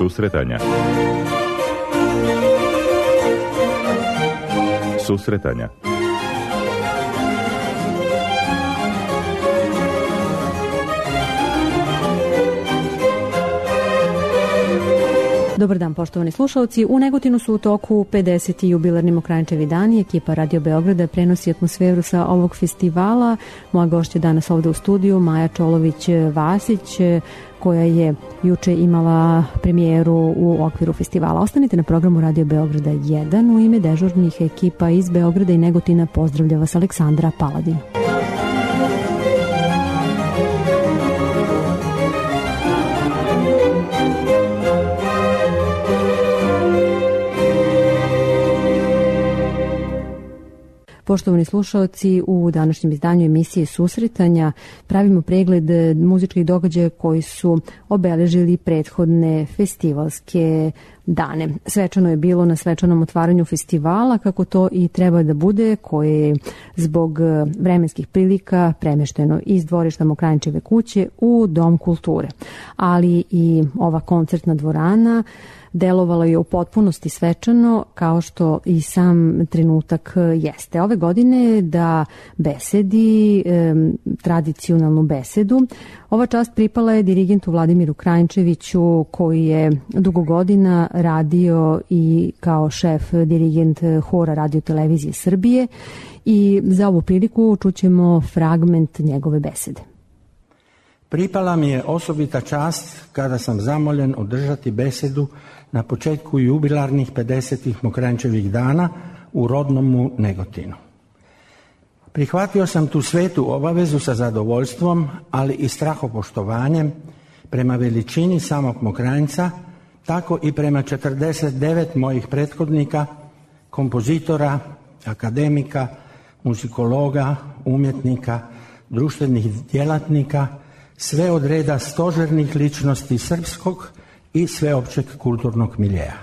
Susretanja. Susretanja. Dobar dan, poštovani slušalci. U Negotinu su u toku 50. jubilarni Mokranjčevi dani. Ekipa Radio Beograda prenosi atmosferu sa ovog festivala. Moja gošća danas ovde u studiju, Maja Čolović-Vasić, koja je juče imala premijeru u okviru festivala. Ostanite na programu Radio Beograda 1. U ime dežurnih ekipa iz Beograda i Negotina pozdravlja vas Aleksandra Paladin. Poštovani slušalci, u današnjem izdanju emisije Susretanja pravimo pregled muzičkih događaja koji su obeležili prethodne festivalske dane. Svečano je bilo na svečanom otvaranju festivala, kako to i treba da bude, koje je zbog vremenskih prilika premešteno iz dvorišta Mokranjčeve kuće u Dom kulture. Ali i ova koncertna dvorana delovalo je u potpunosti svečano, kao što i sam trenutak jeste. Ove godine da besedi tradicionalnu besedu. Ova čast pripala je dirigentu Vladimiru Krajnčeviću, koji je dugo godina radio i kao šef dirigent hora Radio televizije Srbije, i za ovu priliku čućemo fragment njegove besede. Pripala mi je osobita čast kada sam zamoljen održati besedu na početku jubilarnih 50. Mokranjčevih dana u rodnomu Negotinu. Prihvatio sam tu svetu obavezu sa zadovoljstvom, ali i strahopoštovanjem prema veličini samog Mokranjca, tako i prema 49 mojih prethodnika, kompozitora, akademika, muzikologa, umjetnika, društvenih djelatnika, sve od reda stožernih ličnosti srpskog i sveopćeg kulturnog miljeja.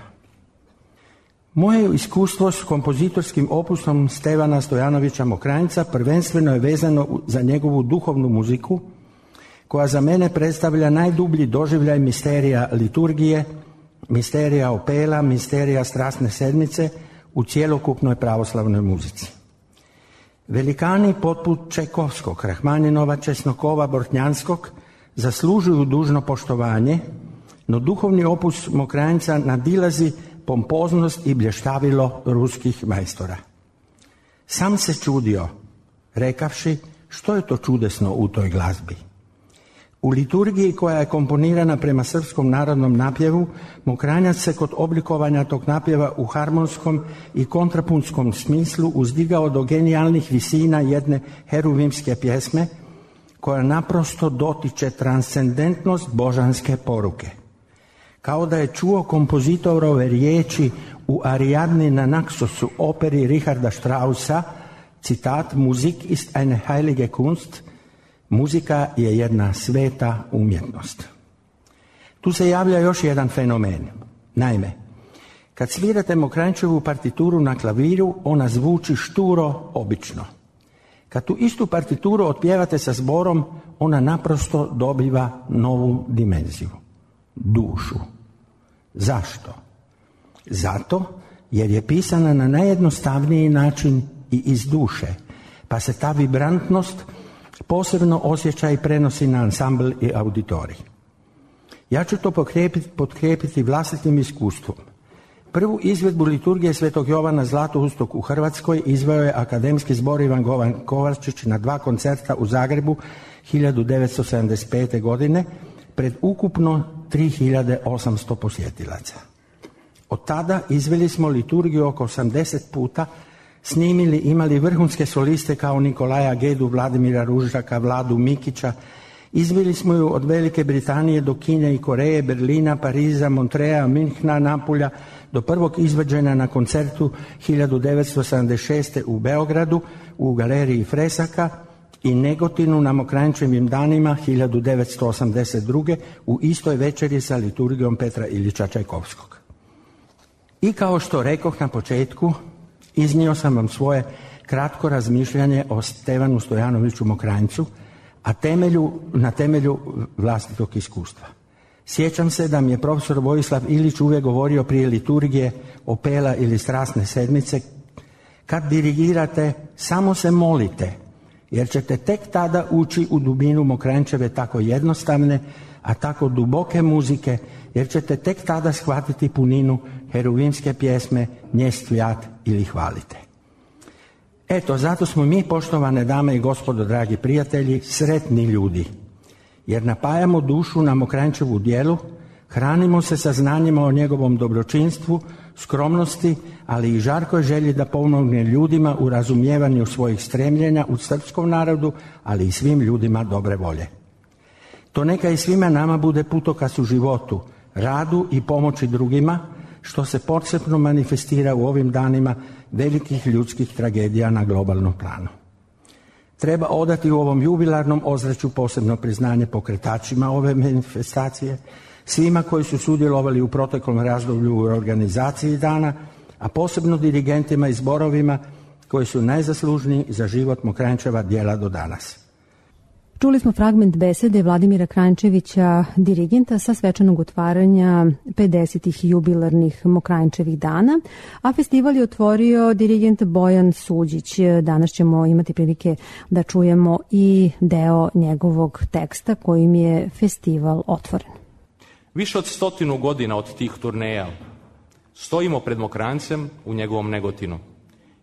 Moje iskustvo s kompozitorskim opusom Stevana Stojanovića Mokranjca prvenstveno je vezano za njegovu duhovnu muziku, koja za mene predstavlja najdublji doživljaj misterija liturgije, misterija opela, misterija strasne sedmice u cjelokupnoj pravoslavnoj muzici. Velikani poput Čajkovskog, Rahmaninova, Česnokova, Bortnjanskog zaslužuju dužno poštovanje, no duhovni opus Mokranjca nadilazi pompoznost i blještavilo ruskih majstora. Sam se čudio, rekavši što je to čudesno u toj glazbi. U liturgiji, koja je komponirana prema srpskom narodnom napjevu, Mokranjac se kod oblikovanja tog napjeva u harmonskom i kontrapunskom smislu uzdigao do genijalnih visina jedne heruvimske pjesme, koja naprosto dotiče transcendentnost božanske poruke. Kao da je čuo kompozitorove riječi u Ariadni na Naxosu, operi Richarda Straussa, citat: Musik ist eine heilige Kunst, muzika je jedna sveta umjetnost. Tu se javlja još jedan fenomen. Naime, kad svirate Mokranjčevu partituru na klaviru, ona zvuči šturo, obično. Kad tu istu partituru otpjevate sa zborom, ona naprosto dobiva novu dimenziju, dušu. Zašto? Zato jer je pisana na najjednostavniji način i iz duše, pa se ta vibrantnost posebno osjeća i prenosi na ansambl i auditorij. Ja ću to potkrijepiti vlastitim iskustvom. Prvu izvedbu liturgije Svetog Jovana Zlatoustog u Hrvatskoj izveo je akademski zbor Ivan Govan Kovačić na 2 koncerta u Zagrebu 1975. godine pred ukupno 3800 posjetilaca. Od tada izveli smo liturgiju oko 80 puta, snimili, imali vrhunske soliste kao Nikolaja Gedu, Vladimira Ružaka, Vladu Mikića. Izveli smo ju od Velike Britanije do Kine i Koreje, Berlina, Pariza, Montreja, Minhna, Napulja, do prvog izvođenja na koncertu 1976. u Beogradu u galeriji Fresaka i Negotinu na Mokranjčevim danima 1982. u istoj večeri sa liturgijom Petra Ilića Čajkovskog. I kao što rekoh na početku, iznio sam vam svoje kratko razmišljanje o Stevanu Stojanoviću Mokranjcu, a na temelju vlastitog iskustva. Sjećam se da mi je profesor Vojislav Ilić uvijek govorio prije liturgije, opela ili strasne sedmice: kad dirigirate, samo se molite, jer ćete tek tada ući u dubinu Mokranjčeve tako jednostavne, a tako duboke muzike, jer ćete tek tada shvatiti puninu heruvimske pjesme Nje stvijat ili hvalite. Eto, zato smo mi, poštovane dame i gospodo, dragi prijatelji, sretni ljudi, jer napajamo dušu na Mokranjčevu djelu, hranimo se saznanjima o njegovom dobročinstvu, skromnosti, ali i žarkoj želji da pomogne ljudima u razumijevanju svojih stremljenja u srpskom narodu, ali i svim ljudima dobre volje. To neka i svima nama bude putokaz u životu, radu i pomoći drugima, što se posebno manifestira u ovim danima velikih ljudskih tragedija na globalnom planu. Treba odati u ovom jubilarnom ozračju posebno priznanje pokretačima ove manifestacije, svima koji su sudjelovali u proteklom razdoblju u organizaciji dana, a posebno dirigentima i zborovima koji su najzaslužniji za život Mokranjčeva djela do danas. Čuli smo fragment besede Vladimira Kranjčevića, dirigenta sa svečanog otvaranja 50. jubilarnih Mokranjčevih dana, a festival je otvorio dirigent Bojan Suđić. Danas ćemo imati prilike da čujemo i deo njegovog teksta kojim je festival otvoren. Više od 100 godina od tih turneja stojimo pred Mokranjcem u njegovom Negotinu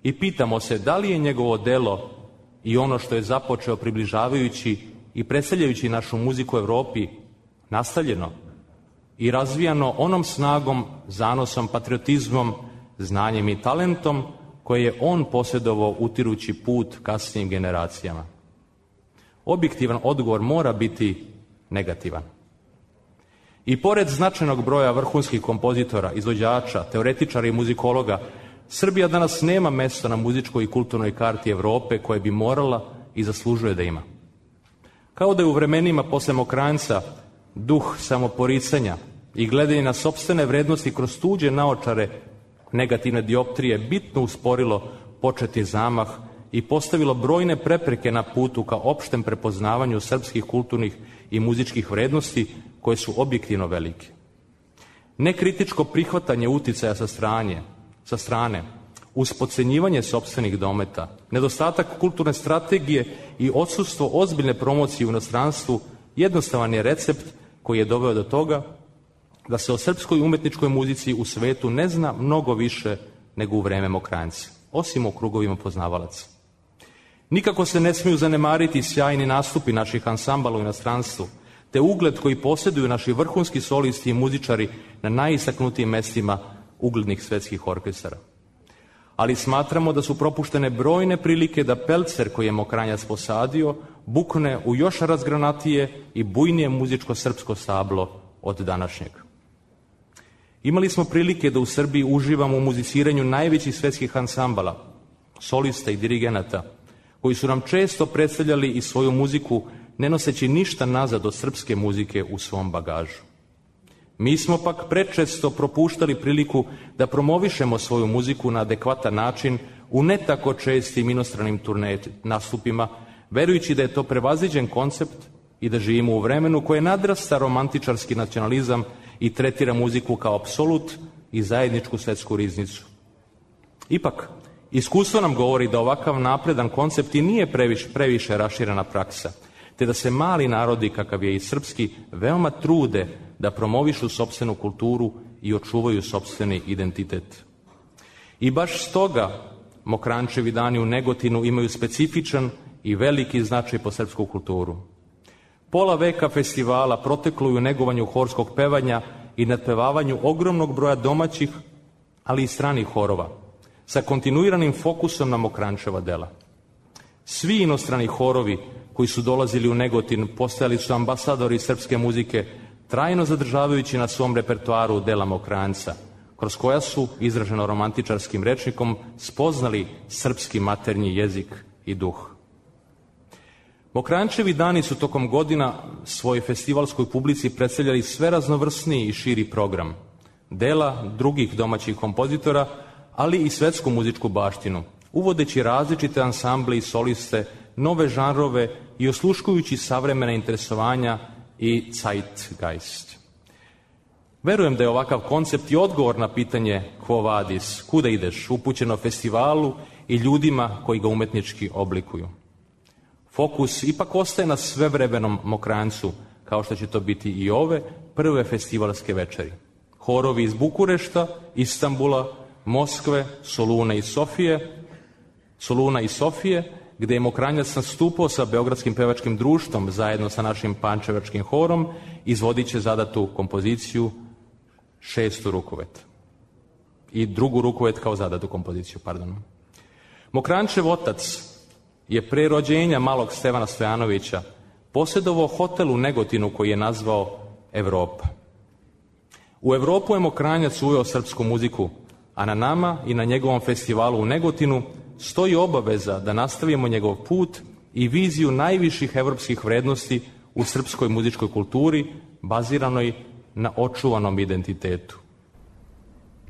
i pitamo se da li je njegovo delo i ono što je započeo približavajući i predstavljajući našu muziku Evropi nastavljeno i razvijano onom snagom, zanosom, patriotizmom, znanjem i talentom koje je on posjedovao utirući put kasnijim generacijama. Objektivan odgovor mora biti negativan. I pored značajnog broja vrhunskih kompozitora, izvođača, teoretičara i muzikologa, Srbija danas nema mjesto na muzičkoj i kulturnoj karti Evrope koje bi morala i zaslužuje da ima. Kao da je u vremenima posle Mokranjca duh samoporicanja i gledanje na sopstvene vrednosti kroz tuđe naočare negativne dioptrije bitno usporilo početi zamah i postavilo brojne prepreke na putu ka opštem prepoznavanju srpskih kulturnih i muzičkih vrednosti koje su objektivno velike. Nekritičko prihvatanje uticaja sa strane, uz podcenjivanje sopstvenih dometa, nedostatak kulturne strategije i odsustvo ozbiljne promocije u inostranstvu jednostavan je recept koji je doveo do toga da se o srpskoj umetničkoj muzici u svetu ne zna mnogo više nego u vreme Mokranjca, osim u krugovima poznavalaca. Nikako se ne smiju zanemariti sjajni nastupi naših ansambala u inostranstvu, te ugled koji posjeduju naši vrhunski solisti i muzičari na najistaknutijim mestima uglednih svetskih orkestara. Ali smatramo da su propuštene brojne prilike da pelcer koji je Mokranjac posadio bukne u još razgranatije i bujnije muzičko-srpsko stablo od današnjeg. Imali smo prilike da u Srbiji uživamo u muziciranju najvećih svetskih ansambala, solista i dirigenata, koji su nam često predstavljali i svoju muziku ne noseći ništa nazad od srpske muzike u svom bagažu. Mi smo pak prečesto propuštali priliku da promovišemo svoju muziku na adekvatan način u ne tako čestim inostranim nastupima, verujući da je to prevaziđen koncept i da živimo u vremenu koje nadrasta romantičarski nacionalizam i tretira muziku kao apsolut i zajedničku svetsku riznicu. Ipak, iskustvo nam govori da ovakav napredan koncept i nije previše raširena praksa, te da se mali narodi, kakav je i srpski, veoma trude da promovišu sopstvenu kulturu i očuvaju sopstveni identitet. I baš stoga Mokranjčevi dani u Negotinu imaju specifičan i veliki značaj po srpsku kulturu. Pola veka festivala proteklo je u negovanju horskog pevanja i nadpevavanju ogromnog broja domaćih, ali i stranih horova, sa kontinuiranim fokusom na Mokranjčeva dela. Svi inostrani horovi koji su dolazili u Negotin postajali su ambasadori srpske muzike, trajno zadržavajući na svom repertoaru dela Mokranjca, kroz koja su, izraženo romantičarskim rečnikom, spoznali srpski maternji jezik i duh. Mokranjčevi dani su tokom godina svojoj festivalskoj publici predstavljali sve raznovrsniji i širi program, dela drugih domaćih kompozitora, ali i svetsku muzičku baštinu, uvodeći različite ansamble i soliste, nove žanrove i osluškujući savremena interesovanja i zeitgeist. Verujem da je ovakav koncept i odgovor na pitanje quo vadis, kuda ideš, upućeno festivalu i ljudima koji ga umetnički oblikuju. Fokus ipak ostaje na svevremenom Mokranjcu, kao što će to biti i ove prve festivalske večeri. Horovi iz Bukurešta, Istanbula, Moskve, Soluna i Sofije, gde je Mokranjac nastupao sa Beogradskim pevačkim društvom zajedno sa našim pančevačkim horom, izvodit će zadatu kompoziciju šestu Rukovet. I drugu Rukovet kao zadatu kompoziciju, pardon. Mokranjčev otac je pre rođenja malog Stevana Stojanovića posjedovao hotel u Negotinu koji je nazvao Evropa. U Evropu je Mokranjac uveo srpsku muziku, a na nama i na njegovom festivalu u Negotinu stoji obaveza da nastavimo njegov put i viziju najviših evropskih vrednosti u srpskoj muzičkoj kulturi, baziranoj na očuvanom identitetu.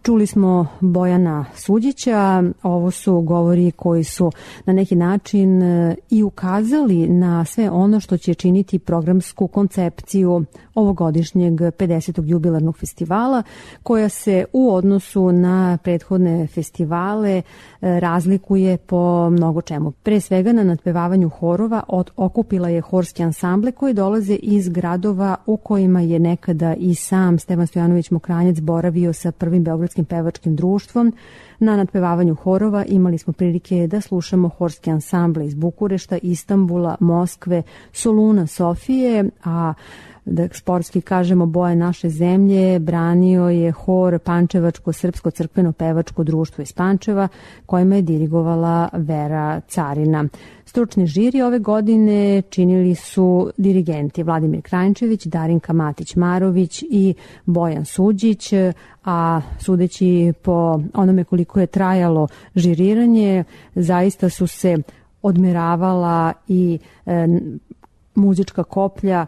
Čuli smo Bojana Suđića, ovo su govori koji su na neki način i ukazali na sve ono što će činiti programsku koncepciju ovogodišnjeg 50. jubilarnog festivala, koja se u odnosu na prethodne festivale razlikuje po mnogo čemu. Pre svega na nadpevavanju horova okupila je horski ansamble koji dolaze iz gradova u kojima je nekada i sam Stevan Stojanović Mokranjac boravio sa prvim Beogradskim pevačkim društvom. Na nadpevavanju horova imali smo prilike da slušamo horske ansamble iz Bukurešta, Istanbula, Moskve, Soluna, Sofije, a da sportski kažemo boje naše zemlje branio je hor Pančevačko srpsko crkveno pevačko društvo iz Pančeva, kojima je dirigovala Vera Carina. Stručni žiri ove godine činili su dirigenti Vladimir Krajnčević, Darinka Matić-Marović i Bojan Suđić, a sudeći po onome koliko je trajalo žiriranje, zaista su se odmeravala i muzička koplja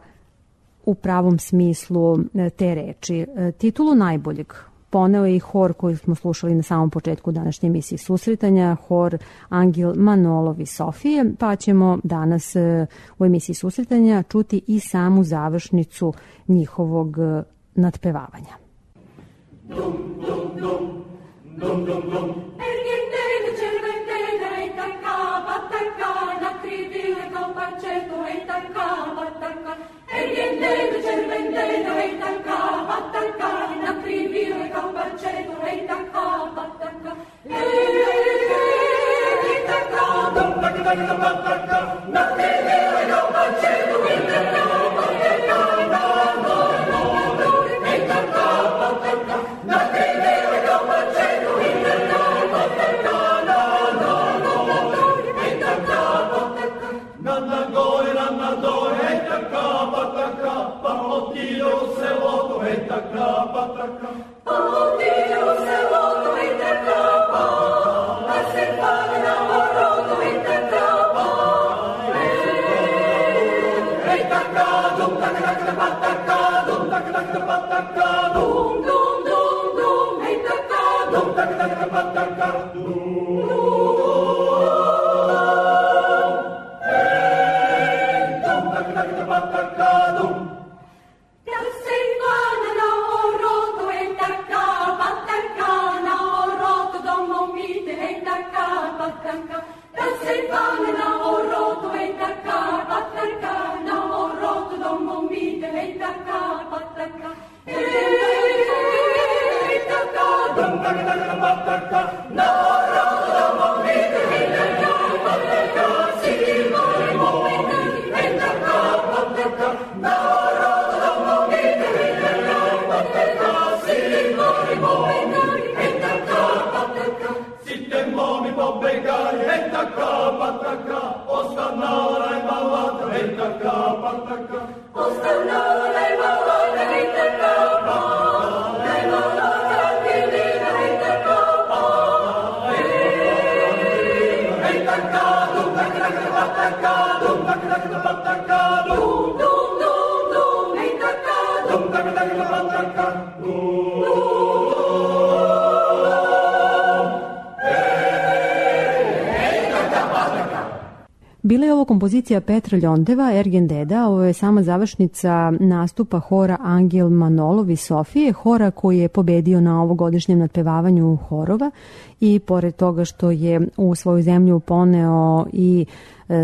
u pravom smislu te reči. Titulu najboljeg poneo je i hor koji smo slušali na samom početku današnje emisije Susretanja, hor Angel Manolov iz Sofije, pa ćemo danas u emisiji Susretanja čuti i samu završnicu njihovog nadpevavanja. Dum, dum, dum, dum, dum, dum. Bila je ovo kompozicija Petra Ljondeva, Ergen Deda. Ovo je sama završnica nastupa hora Angel Manolov iz Sofije, hora koji je pobedio na ovogodišnjem nadpevavanju horova i pored toga što je u svoju zemlju poneo i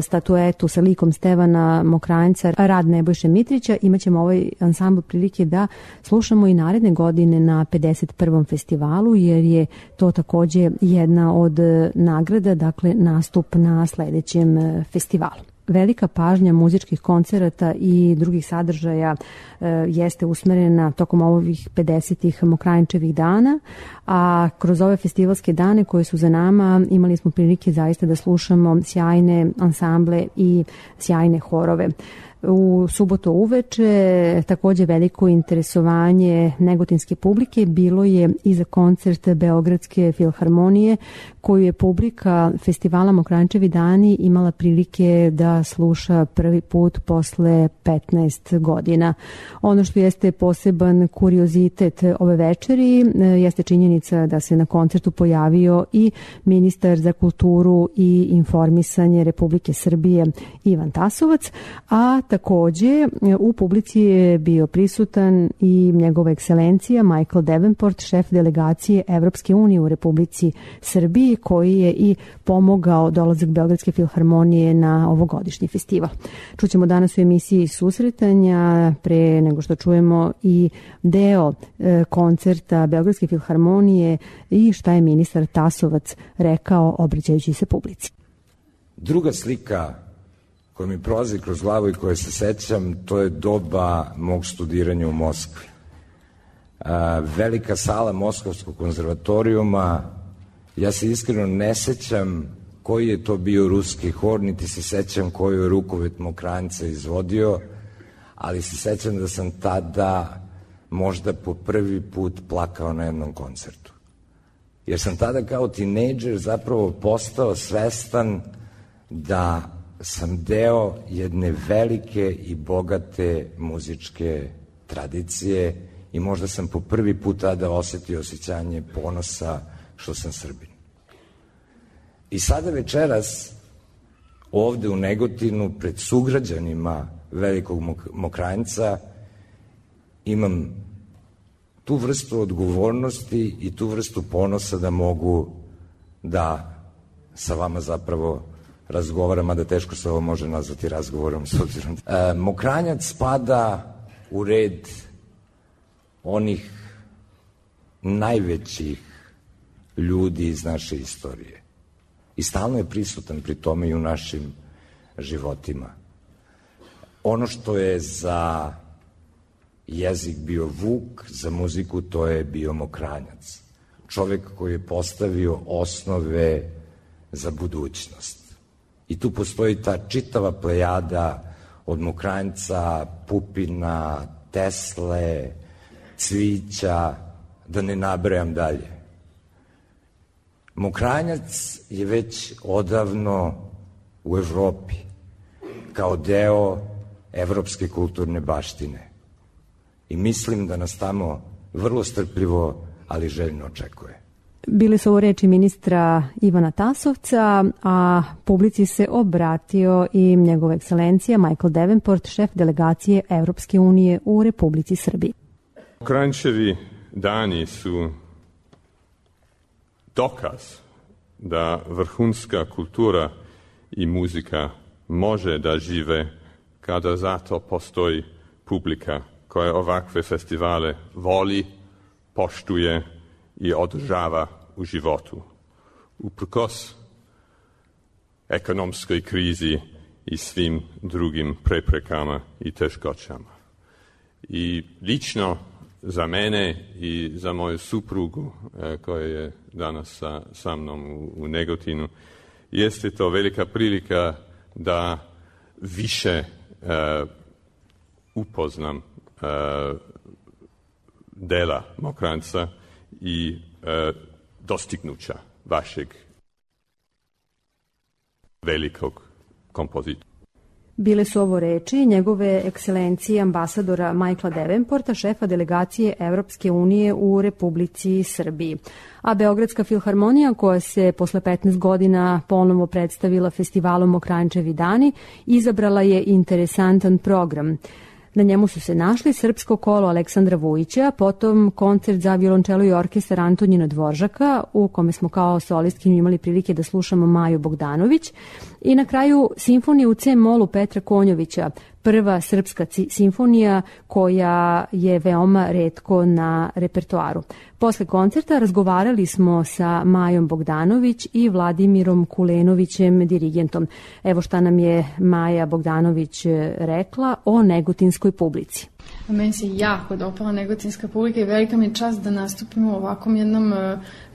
statuetu sa likom Stevana Mokranjca, rad Nebojše Mitrića, imaćemo ovaj ansambl prilike da slušamo i naredne godine na 51. festivalu, jer je to takođe jedna od nagrada, dakle nastup na sledećem festivalu. Velika pažnja muzičkih koncerata i drugih sadržaja jeste usmerena tokom ovih 50. Mokranjčevih dana, a kroz ove festivalske dane koje su za nama imali smo prilike zaista da slušamo sjajne ansamble i sjajne horove. U subotu uveče takođe veliko interesovanje negotinske publike bilo je i za koncert Beogradske filharmonije koju je publika festivala Mokranjčevi dani imala prilike da sluša prvi put posle 15 godina. Ono što jeste poseban kuriozitet ove večeri jeste činjenica da se na koncertu pojavio i ministar za kulturu i informisanje Republike Srbije Ivan Tasovac, a takođe u publici je bio prisutan i njegova ekscelencija Michael Davenport, šef delegacije Evropske unije u Republici Srbiji, koji je i pomogao dolazak Beogradske filharmonije na ovogodišnji festival. Čućemo danas u emisiji Susretanja, pre nego što čujemo i deo koncerta Beogradske filharmonije i šta je ministar Tasovac rekao obraćajući se publici. Druga slika koja mi prolazi kroz glavu i koje se sećam, to je doba mog studiranja u Moskvi. Velika sala Moskovskog konzervatorijuma, ja se iskreno ne sećam koji je to bio ruski hor, niti se sećam koju je rukovet Mokranjca izvodio, ali se sećam da sam tada možda po prvi put plakao na jednom koncertu. Jer sam tada kao tinejdžer zapravo postao svestan da sam deo jedne velike i bogate muzičke tradicije i možda sam po prvi put tada osetio osjećanje ponosa što sam Srbin. I sada večeras ovde u Negotinu pred sugrađanima Velikog Mokranjca imam tu vrstu odgovornosti i tu vrstu ponosa da mogu da sa vama zapravo razgovaram, a da teško se ovo može nazvati razgovorom s obzirom. Mokranjac spada u red onih najvećih ljudi iz naše istorije. I stalno je prisutan pri tome i u našim životima. Ono što je za jezik bio Vuk, za muziku to je bio Mokranjac. Čovek koji je postavio osnove za budućnost. I tu postoji ta čitava plejada od Mokranjca, Pupina, Tesle, Cvića, da ne nabrajam dalje. Mokranjac je već odavno u Evropi, kao deo evropske kulturne baštine. I mislim da nas tamo vrlo strpljivo, ali željno očekuje. Bile su ovo reči ministra Ivana Tasovca, a publici se obratio i njegova ekscelencija Michael Davenport, šef delegacije Evropske unije u Republici Srbiji. Mokranjčevi dani su dokaz da vrhunska kultura i muzika može da žive kada zato postoji publika koja ovakve festivale voli, poštuje i održava u životu. Uprkos ekonomskoj krizi i svim drugim preprekama i teškoćama. I lično za mene i za moju suprugu koja je danas sa mnom u Negotinu, jeste to velika prilika da više upoznam dela Mokranjca i dostignuća vašeg velikog kompozitora. Bile su ovo reči njegove ekscelencije ambasadora Michaela Davenporta, šefa delegacije Evropske unije u Republici Srbiji. A Beogradska filharmonija, koja se posle 15 godina ponovo predstavila festivalom Mokranjčevi dani, izabrala je interesantan program. Na njemu su se našli Srpsko kolo Aleksandra Vujića, potom koncert za violončelo i orkestar Antonjina Dvoržaka, u kome smo kao solistkinju imali prilike da slušamo Maju Bogdanović, i na kraju simfoniju u C-molu Petra Konjovića, prva srpska simfonija koja je veoma retko na repertoaru. Posle koncerta razgovarali smo sa Majom Bogdanović i Vladimirom Kulenovićem, dirigentom. Evo šta nam je Maja Bogdanović rekla o negotinskoj publici. Meni se jako dopala negotinska publika i velika mi je čast da nastupimo u ovakvom jednom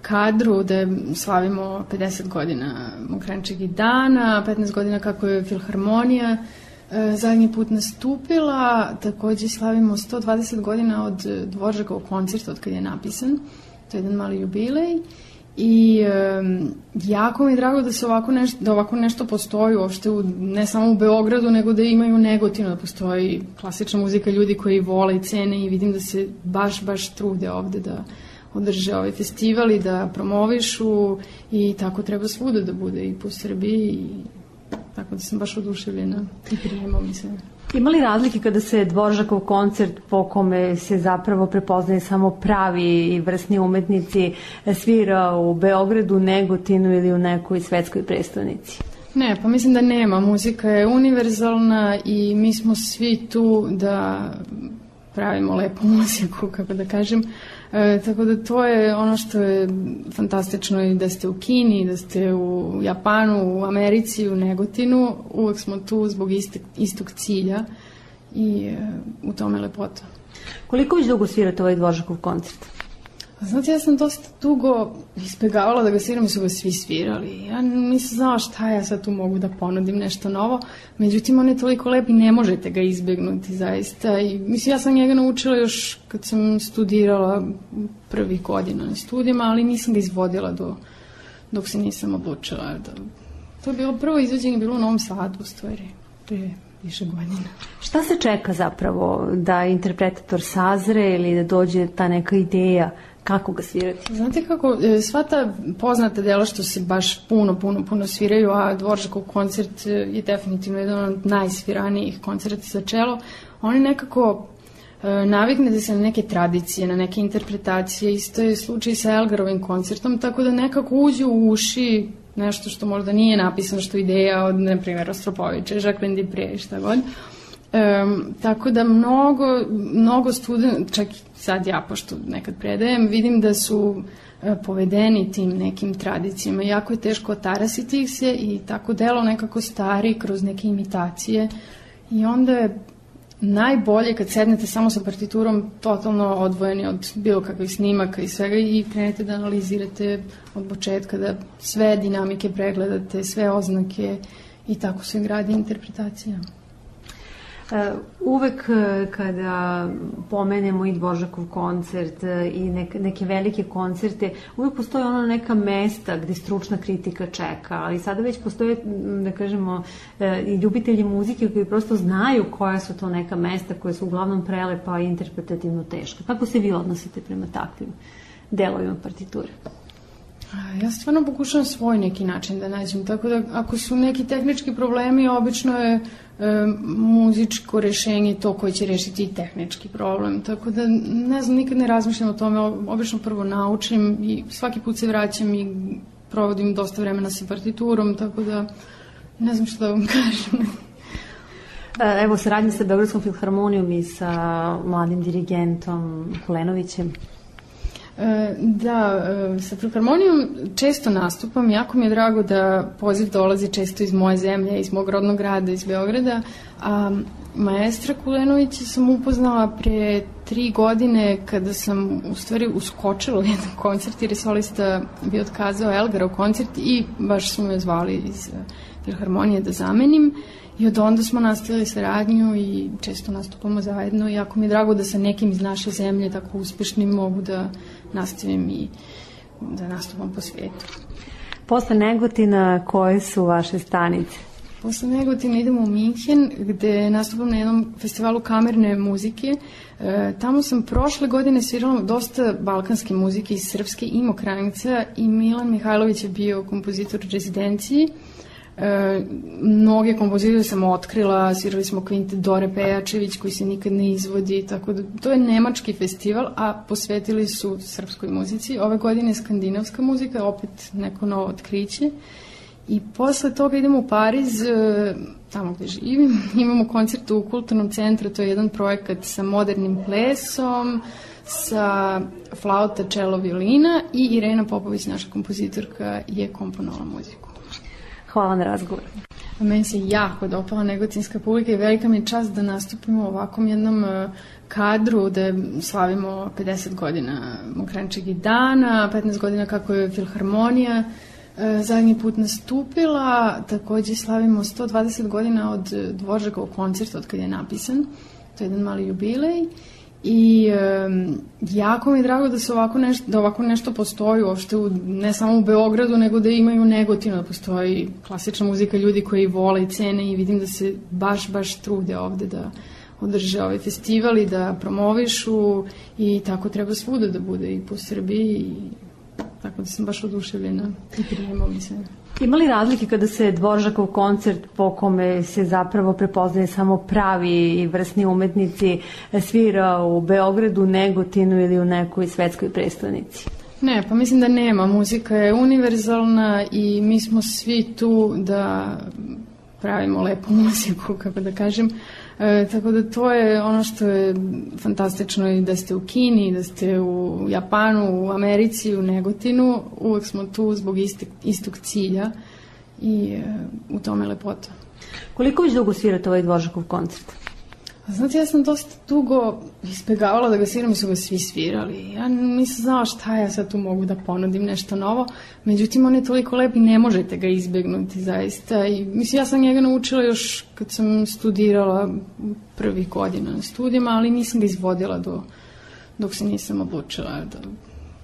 kadru, da slavimo 50 godina Mokranjčevih dana, 15 godina kako je filharmonija zadnji put nastupila. Takođe slavimo 120 godina od Dvoržakovog koncerta, od kada je napisan. To je jedan mali jubilej. I jako mi je drago da se ovako nešto postoji uopšte ne samo u Beogradu, nego da imaju Negotinu, da postoji klasična muzika, ljudi koji vole i cene, i vidim da se baš trude ovde da održe ovaj festival i da promovišu, i tako treba svuda da bude i po Srbiji, i tako da sam baš oduševljena i prijemom mi se. Ima li razlike kada se Dvoržakov koncert, po kome se zapravo prepoznaje samo pravi i vrsni umetnici, svira u Beogradu, Negotinu ili u nekoj svetskoj prestonici? Ne, pa mislim da nema. Muzika je univerzalna i mi smo svi tu da pravimo lepu muziku, kako da kažem. Tako da to je ono što je fantastično, i da ste u Kini, da ste u Japanu, u Americi, u Negotinu, uvek smo tu zbog istog cilja, i u tome lepota. Koliko već dugo svirate ovaj Dvoržakov koncert? Znate, ja sam dosta dugo izbegavala da ga sviram, i su ga svi svirali. Ja nisam znala šta ja sad tu mogu da ponudim, nešto novo. Međutim, on je toliko lep i ne možete ga izbegnuti, zaista. I, mislim, ja sam njega naučila još kad sam studirala prvih godina na studijama, ali nisam ga izvodila dok se nisam odlučila. To je bilo prvo izvođenje, bilo u Novom Sadu, u stvari, prije više godina. Šta se čeka zapravo da interpretator sazre ili da dođe ta neka ideja kako ga svirati? Znate kako, sva ta poznata dela što se baš puno sviraju, a Dvoržakov koncert je definitivno jedan od najsviranijih koncerta za čelo, oni nekako naviknete se na neke tradicije, na neke interpretacije. Isto je slučaj sa Elgarovim koncertom, tako da nekako uđe u uši nešto što možda nije napisano, što je ideja od, na primjer, Rostropovića, Jacqueline Dupré, šta god. Tako da mnogo studenta, čak sad ja, pošto nekad predajem, vidim da su povedeni tim nekim tradicijama. Jako je teško otarasiti ih se, i tako delo nekako stari kroz neke imitacije, i onda je najbolje kad sednete samo sa partiturom, totalno odvojeni od bilo kakvih snimaka i svega, i krenete da analizirate od početka, da sve dinamike pregledate, sve oznake, i tako se gradi interpretacija. Uvek kada pomenemo i Dvoržakov koncert i neke velike koncerte, uvek postoje ono neka mesta gde stručna kritika čeka, ali sada već postoje, da kažemo, i ljubitelji muzike koji prosto znaju koja su to neka mesta koja su uglavnom prelepa i interpretativno teška. Kako se vi odnosite prema takvim delovima partiture? Ja stvarno pokušam svoj neki način da nađem, tako da ako su neki tehnički problemi, obično je muzičko rešenje to koje će rešiti i tehnički problem, tako da ne znam, nikad ne razmišljam o tome, obično prvo naučim i svaki put se vraćam i provodim dosta vremena sa partiturom, tako da ne znam što da vam kažem. Evo, saradnja sa Beogradskom filharmonijom i sa mladim dirigentom Kulenovićem. Da, sa filharmonijom često nastupam, jako mi je drago da poziv dolazi često iz moje zemlje, iz mog rodnog grada, iz Beograda, a maestra Kulenovića sam upoznala pre 3 godine kada sam u stvari uskočila u jedan koncert jer je solista bio otkazao Elgarov koncert i baš su me zvali iz filharmonije da zamenim. I od onda smo nastavili saradnju i često nastupamo zajedno. Jako mi je drago da sa nekim iz naše zemlje tako uspešnim mogu da nastavim i da nastupam po svijetu. Posle Negotina, koje su vaše stanice? Posle Negotina idemo u Minhen, gde nastupam na jednom festivalu kamerne muzike. Tamo sam prošle godine svirala dosta balkanske muzike iz Srpske i Mokranjica i Milan Mihajlović je bio kompozitor u rezidenciji. Mnoge kompozitore sam otkrila, svirali smo kvintet Dore Pejačević koji se nikad ne izvodi, tako da to je nemački festival, a posvetili su srpskoj muzici. Ove godine je skandinavska muzika, opet neko novo otkriće. I posle toga idemo u Pariz, tamo gde živim, imamo koncert u Kulturnom centru, to je jedan projekat sa modernim plesom, sa flauta, čelo, violina i Irena Popović, naša kompozitorka, je komponovala muziku. Hvala na razgovor. Meni se jako dopala negotinska publika i velika mi je čast da nastupimo u ovakvom jednom kadru, da slavimo 50 godina Mokranjčeg dana, 15 godina kako je Filharmonija zadnji put nastupila, takođe slavimo 120 godina od Dvoržakovog koncerta, od kada je napisan, to je jedan mali jubilej i jako mi je drago da se ovako nešto postoji uopšte ne samo u Beogradu, nego da imaju u Negotinu, da postoji klasična muzika, ljudi koji vole i cene i vidim da se baš trude ovde da održe ovaj festival i da promovišu i tako treba svuda da bude i po Srbiji i tako da sam baš oduševljena i prijemo mi se. Ima li razlike kada se Dvoržakov koncert po kome se zapravo prepoznaje samo pravi i vrsni umetnici svira u Beogradu, Negotinu ili u nekoj svetskoj prestonici? Ne, pa mislim da nema. Muzika je univerzalna i mi smo svi tu da pravimo lepu muziku, kako da kažem. Tako da to je ono što je fantastično i da ste u Kini, da ste u Japanu, u Americi, u Negotinu, uvek smo tu zbog istog cilja i u tome je lepota. Koliko već dugo svirate ovaj Dvoržakov koncert? Znate, ja sam dosta dugo izbegavala da ga sviram i su ga svi svirali. Ja nisam znala šta ja sad tu mogu da ponudim nešto novo, međutim on je toliko lep i ne možete ga izbegnuti zaista. I, mislim, ja sam njega naučila još kad sam studirala prvih godina na studijama, ali nisam ga izvodila dok se nisam odlučila.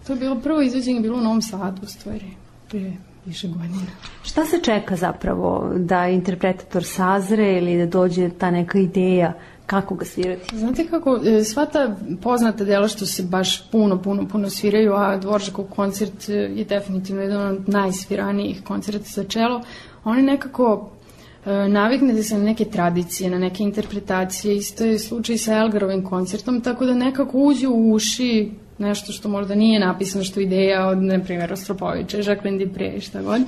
To je bilo prvo izvođenje, bilo u Novom Sadu u stvari, prije više godina. Šta se čeka zapravo da interpretator sazre ili da dođe ta neka ideja kako ga svirati? Znate kako, sva ta poznata dela što se baš puno sviraju, a Dvoržakov koncert je definitivno jedan od najsviranijih koncerta za čelo, oni nekako naviknete se na neke tradicije, na neke interpretacije, isto je slučaj sa Elgarovim koncertom, tako da nekako uđe u uši nešto što možda nije napisano, što je ideja od, na primjer, Rostropovića, Jacqueline Dupre i šta god.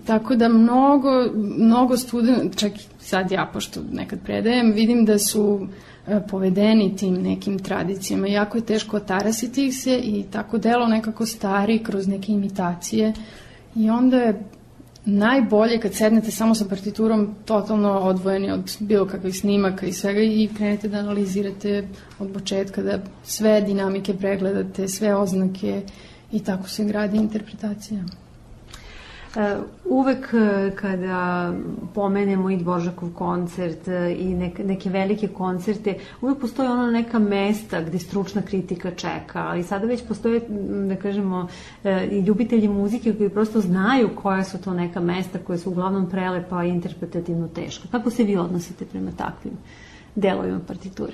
Tako da mnogo studenta, čak sad ja, pošto nekad predajem, vidim da su povedeni tim nekim tradicijama. Jako je teško otarasiti ih se i tako delo nekako stari kroz neke imitacije i onda je najbolje kad sednete samo sa partiturom totalno odvojeni od bilo kakvih snimaka i svega i krenete da analizirate od početka, da sve dinamike pregledate, sve oznake i tako se gradi interpretacija. Uvek kada pomenemo i Dvoržakov koncert i neke velike koncerte, uvek postoje ono neka mesta gde stručna kritika čeka, ali sada već postoje, da kažemo, i ljubitelji muzike koji prosto znaju koja su to neka mesta koje su uglavnom prelepa i interpretativno teška. Kako se vi odnosite prema takvim delovima partiture?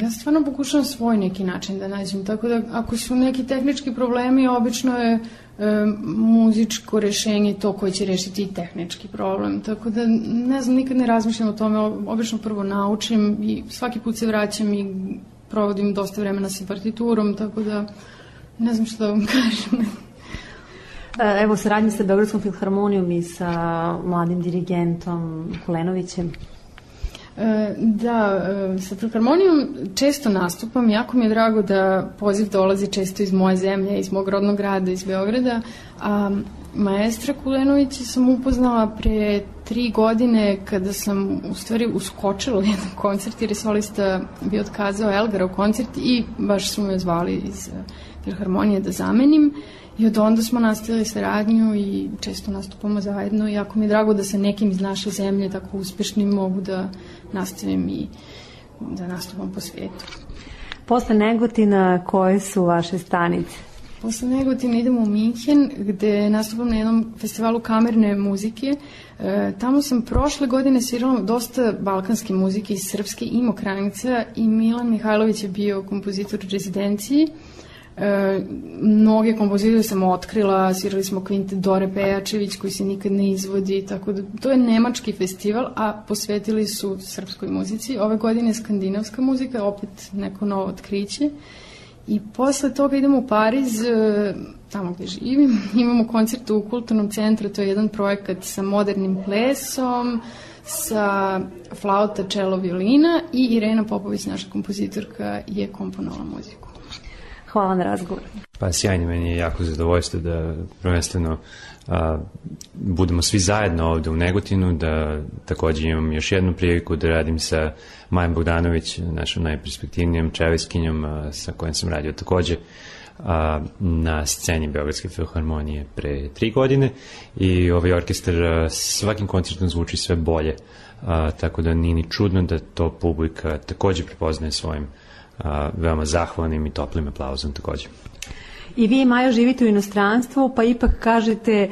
Ja stvarno pokušam svoj neki način da nađem, tako da ako su neki tehnički problemi, obično je muzičko rešenje to koje će rešiti i tehnički problem, tako da ne znam, nikad ne razmišljam o tome, obično prvo naučim i svaki put se vraćam i provodim dosta vremena sa partiturom, tako da ne znam što da vam kažem. Evo, saradnje sa Beogradskom filharmonijom i sa mladim dirigentom Kulenovićem. Da, sa filharmonijom često nastupam, jako mi je drago da poziv dolazi često iz moje zemlje, iz mog rodnog grada, iz Beograda, a maestra Kulenovića sam upoznala pre 3 godine kada sam u stvari uskočila u jedan koncert jer je solista bio otkazao Elgarov koncert i baš su me zvali iz filharmonije da zamenim. I od onda smo nastavili saradnju i često nastupamo zajedno i jako mi je drago da sa nekim iz naše zemlje tako uspešnim mogu da nastavim i da nastupam po svijetu. Posle Negotina, koje su vaše stanice? Posle Negotina idemo u Minhen, gde nastupam na jednom festivalu kamerne muzike. Tamo sam prošle godine svirala dosta balkanske muzike iz Srpske i Mokranjica i Milan Mihajlović je bio kompozitor u rezidenciji. Mnoge kompozitore sam otkrila, svirali smo kvintet Dore Pejačević koji se nikad ne izvodi, tako da to je nemački festival, a posvetili su srpskoj muzici. Ove godine je skandinavska muzika, opet neko novo otkriće. I posle toga idemo u Pariz, tamo gde živim, imamo koncert u Kulturnom centru, to je jedan projekat sa modernim plesom, sa flauta, čelo, violina i Irena Popović, naša kompozitorka, je komponovala muziku. Hvala na razgovor. Pa sjajno, meni je jako zadovoljstvo da prvenstveno budemo svi zajedno ovde u Negotinu, da takođe imam još jednu priliku da radim sa Majom Bogdanović, našom najperspektivnijom čeveskinjom sa kojom sam radio takođe na sceni Beogradske filharmonije pre 3 godine i ovaj orkestar svakim koncertom zvuči sve bolje, tako da nije ni čudno da to publika takođe prepoznaje svojim veoma zahvalnim i toplim aplauzom takođe. I vi, Maja, živite u inostranstvu, pa ipak kažete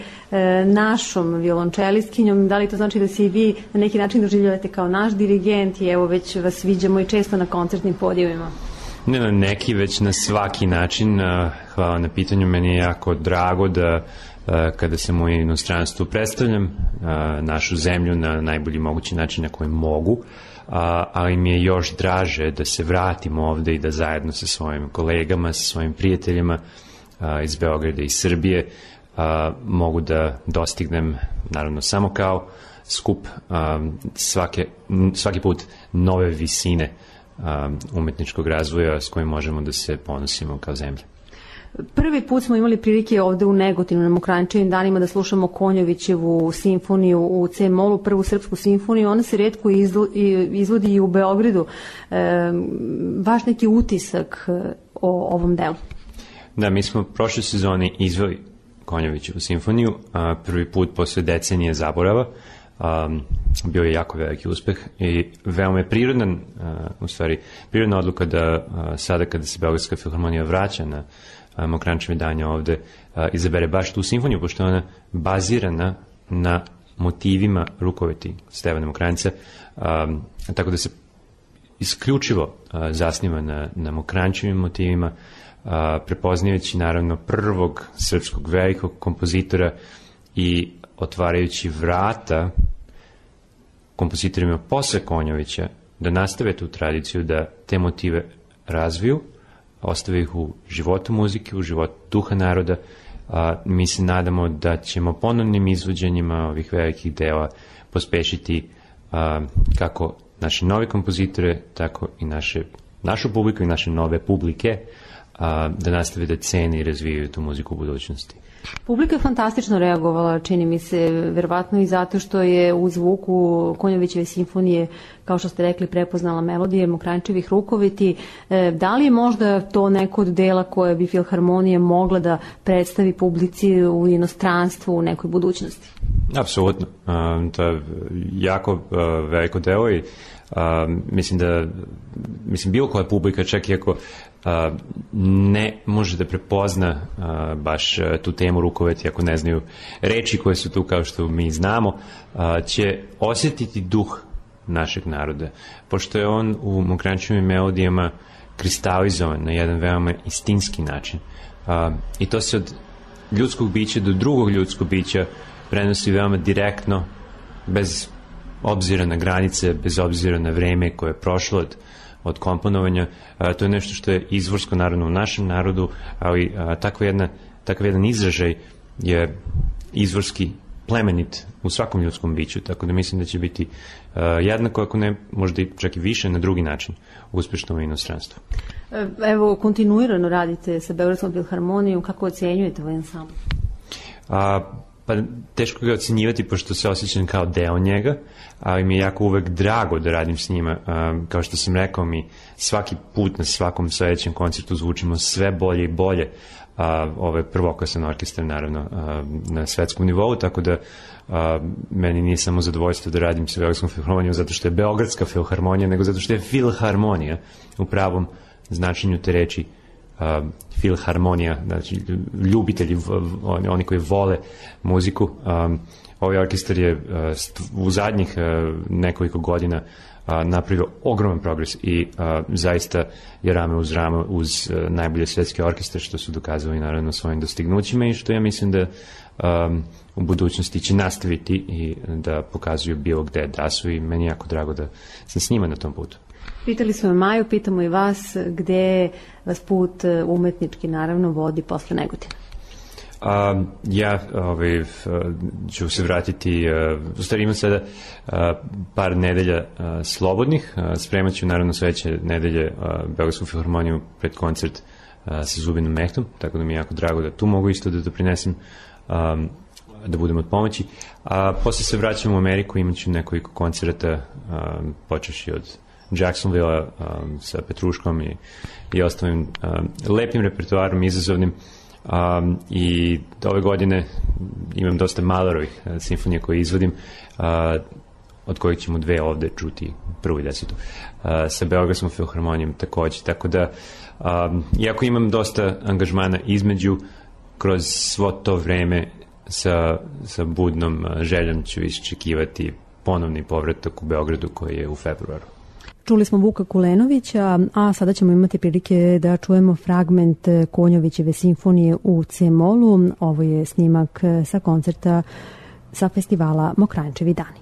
našom violončelistkinjom, da li to znači da se i vi na neki način doživljavate kao naš dirigent i evo već vas viđamo i često na koncertnim podijevima? Ne na neki, već na svaki način. Hvala na pitanju, meni je jako drago da kada sam u inostranstvu predstavljam našu zemlju na najbolji mogući način na koji mogu, ali mi je još draže da se vratim ovde i da zajedno sa svojim kolegama, sa svojim prijateljima iz Beograda i Srbije mogu da dostignem, naravno samo kao skup, svaki put nove visine umetničkog razvoja s kojim možemo da se ponosimo kao zemlja. Prvi put smo imali prilike ovde u Negotinu na Mokranjčevim danima da slušamo Konjovićevu simfoniju u C-molu, prvu srpsku simfoniju. Ona se retko izvodi i u Beogradu. Vaš neki utisak o ovom delu? Da, mi smo prošle sezone izveli Konjovićevu simfoniju, prvi put posle decenije zaborava. Bio je jako veliki uspeh i veoma je prirodna odluka da sada kada se Beogradska filharmonija vraća na Mokranjčeve danje ovde izabere baš tu simfoniju, pošto je ona bazirana na motivima rukoveti Stevana Mokranjca, tako da se isključivo zasniva na Mokranjčevim motivima, prepoznajući naravno prvog srpskog velikog kompozitora i otvarajući vrata kompozitorima posle Konjovića da nastave tu tradiciju, da te motive razviju, ostave ih u životu muzike, u životu duha naroda. Mi se nadamo da ćemo ponovnim izvođenjima ovih velikih dela pospešiti kako naše nove kompozitore, tako i našu publiku i naše nove publike da nastave da cene i razvijaju tu muziku u budućnosti. Publika je fantastično reagovala, čini mi se, verovatno i zato što je u zvuku Konjovićeve simfonije, kao što ste rekli, prepoznala melodije Mokranjčevih rukoveti. Da li je možda to neko od dela koje bi filharmonija mogla da predstavi publici u inostranstvu u nekoj budućnosti? Apsolutno. To je jako veliko delo i mislim bilo koja publika, čak i ako ne može da prepozna baš tu temu rukoveti, ako ne znaju reči koje su tu kao što mi znamo, će osjetiti duh našeg naroda, pošto je on u Mokranjčevim melodijama kristalizovan na jedan veoma istinski način i to se od ljudskog bića do drugog ljudskog bića prenosi veoma direktno, bez obzira na granice, bez obzira na vreme koje je prošlo od komponovanja. To je nešto što je izvorsko naravno u našem narodu, ali takav jedan izražaj je izvorski plemenit u svakom ljudskom biću, tako da mislim da će biti jednako, ako ne možda i čak i više na drugi način uspešno u inostranstvu. Evo, kontinuirano radite sa Beogradskom filharmonijom, kako ocenjujete ovaj ansambl? Pa teško ga ocenjivati pošto se osjećam kao deo njega, ali mi je jako uvek drago da radim s njima. Kao što sam rekao, mi svaki put na svakom sledećem koncertu zvučimo sve bolje i bolje. Ovo je prvoklasan orkestar naravno na svetskom nivou, tako da meni nije samo zadovoljstvo da radim sa Beogradskom filharmonijom zato što je Beogradska filharmonija, nego zato što je filharmonija u pravom značenju te reči filharmonija, znači ljubitelji, oni koji vole muziku. Ovaj orkestar je u zadnjih nekoliko godina napravio ogroman progres i zaista je rame uz rame uz najbolje svetske orkestre, što su dokazali naravno svojim dostignućima i što ja mislim da u budućnosti će nastaviti i da pokazuju bilo gde da su i meni je jako drago da sam s njima na tom putu. Pitali smo Maju, pitamo i vas gde vas put umetnički naravno vodi posle Negotina. Ja ću se vratiti, u stvari imam sada par nedelja slobodnih, spremat ću naravno sledeće nedelje Beogradsku filharmoniju pred koncert sa Zubinom Mehtom, tako da mi je jako drago da tu mogu isto da doprinesem, da budem od pomoći. A posle se vraćam u Ameriku, imat ću nekoliko koncerata, počeši od Jacksonville sa Petruškom i ostalim lepim repertoarom, izazovnim. I ove godine imam dosta Mahlerovih simfonija koje izvodim, od kojih ćemo 2 ovde čuti, prvu i 10. Sa Beogradskom filharmonijom takođe, tako da iako imam dosta angažmana između, kroz svo to vreme sa budnom željom ću iščekivati ponovni povratak u Beogradu koji je u februaru. Čuli smo Vuka Kulenovića, a sada ćemo imati prilike da čujemo fragment Konjovićeve simfonije u C-molu. Ovo je snimak sa koncerta sa festivala Mokranjčevi dani.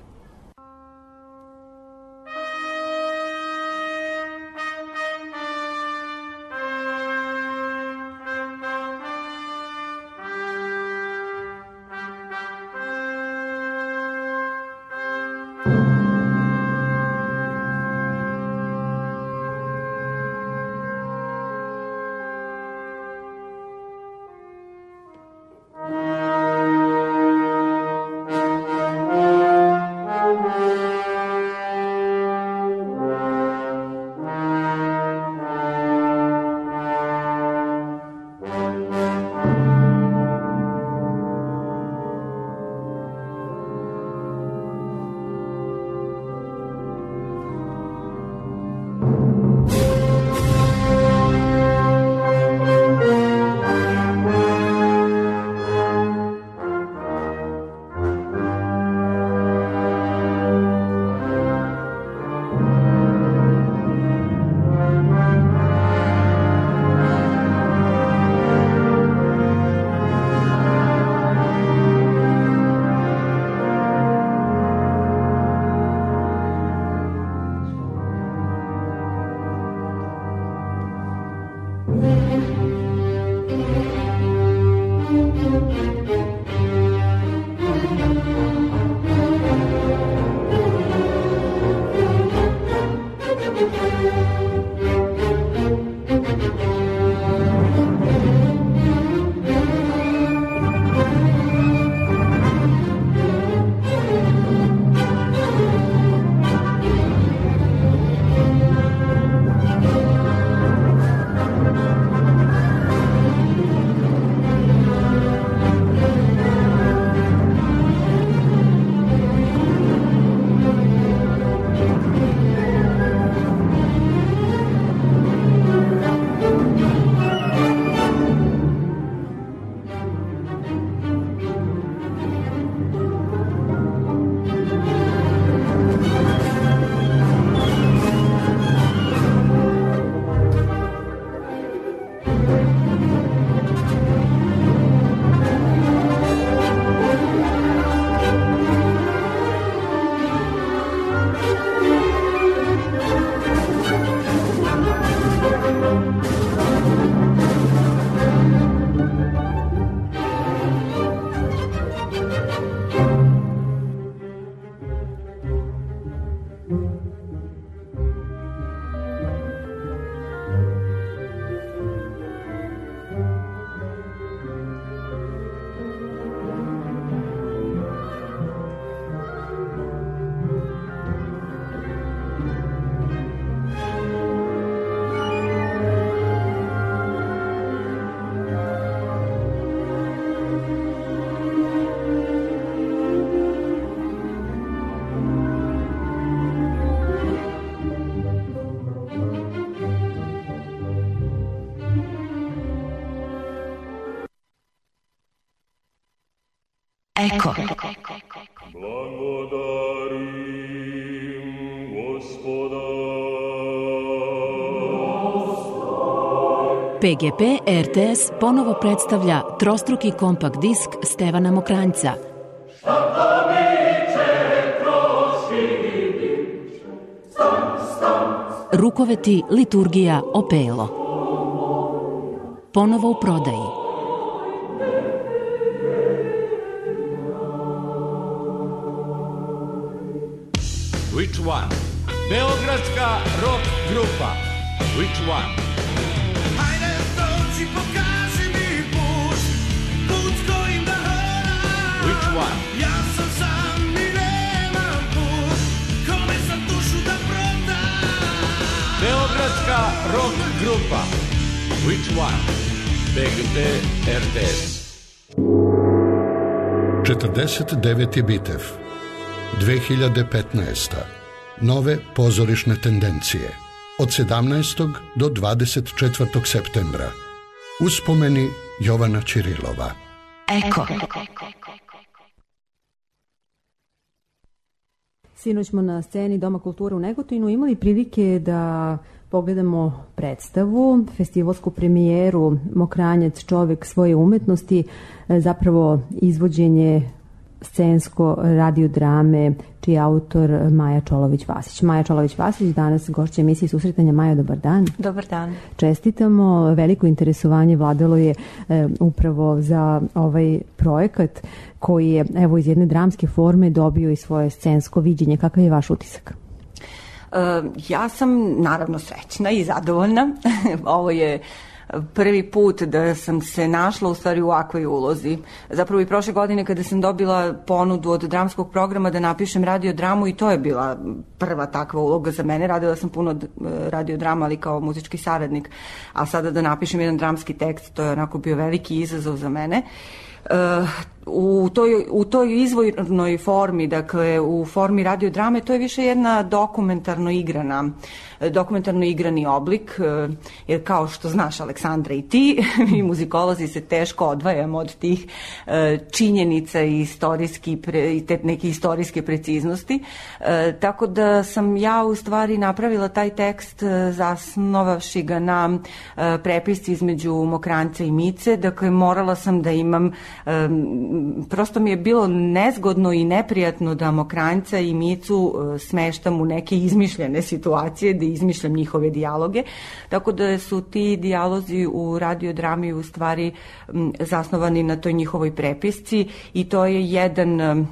Eko. Blagodarim Gospoda. PGP RTS ponovo predstavlja trostruki kompakt disk Stevana Mokranjca. Rukoveti, liturgija, opelo. Ponovo u prodaji. Which one? Beogradska rock grupa. Which one? Hajde dođi, pokaži mi put, put kojim da hodam. Which one? Ja sam sam i nemam put, kome sam dušu da prodam. Beogradska rock grupa. Which one? PGP RTS. 49. bitev. 2015. Nove pozorišne tendencije. Od 17. do 24. septembra. Uspomeni Jovana Ćirilova. Eko. Sinoć smo na sceni Doma kulture u Negotinu imali prilike da pogledamo predstavu, festivalsku premijeru Mokranjac, čovek svoje umetnosti, zapravo izvođenje scensko radiodrame čiji je autor Maja Čolović-Vasić. Maja Čolović-Vasić, danas gošća emisije Susretanja. Maja, dobar dan. Dobar dan. Čestitamo, veliko interesovanje vladalo je upravo za ovaj projekat koji je evo iz jedne dramske forme dobio i svoje scensko viđenje. Kakav je vaš utisak? Ja sam naravno srećna i zadovoljna. Ovo je prvi put da sam se našla u stvari u ovakvoj ulozi. Zapravo i prošle godine kada sam dobila ponudu od dramskog programa da napišem radiodramu, i to je bila prva takva uloga za mene. Radila sam puno radiodrama, ali kao muzički saradnik, a sada da napišem jedan dramski tekst, to je onako bio veliki izazov za mene. U toj izvornoj formi, dakle u formi radiodrame, to je više jedna dokumentarno igrani oblik, jer kao što znaš, Aleksandra, i ti, mi muzikolozi se teško odvajamo od tih činjenica i te neke istorijske preciznosti, tako da sam ja u stvari napravila taj tekst zasnovavši ga na prepisci između Mokranjca i Mice. Dakle, morala sam da imam, prosto mi je bilo nezgodno i neprijatno da Mokranjca i Micu smeštam u neke izmišljene situacije, da izmišljam njihove dijaloge, tako da su ti dijalozi u radiodrami u stvari zasnovani na toj njihovoj prepisci, i to je jedan,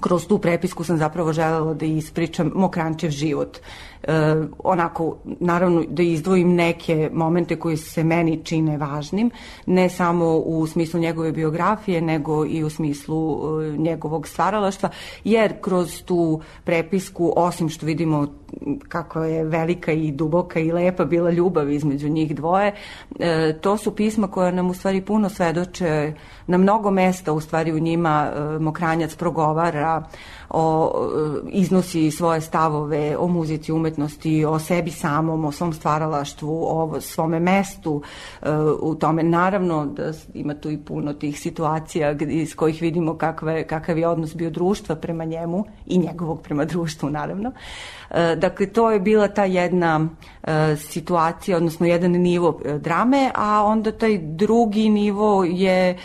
kroz tu prepisku sam zapravo želela da ispričam Mokranjčev život. Onako, naravno da izdvojim neke momente koji se meni čine važnim, ne samo u smislu njegove biografije, nego i u smislu njegovog stvaralaštva, jer kroz tu prepisku, osim što vidimo kako je velika i duboka i lepa bila ljubav između njih dvoje, to su pisma koja nam u stvari puno svedoče. Na mnogo mesta u stvari u njima Mokranjac progovara, iznosi svoje stavove o muzici, umetnosti, o sebi samom, o svom stvaralaštvu, o svome mestu u tome. Naravno da ima tu i puno tih situacija iz kojih vidimo kakav je odnos bio društva prema njemu i njegovog prema društvu, naravno. Dakle, to je bila ta jedna situacija, odnosno jedan nivo drame, a onda taj drugi nivo je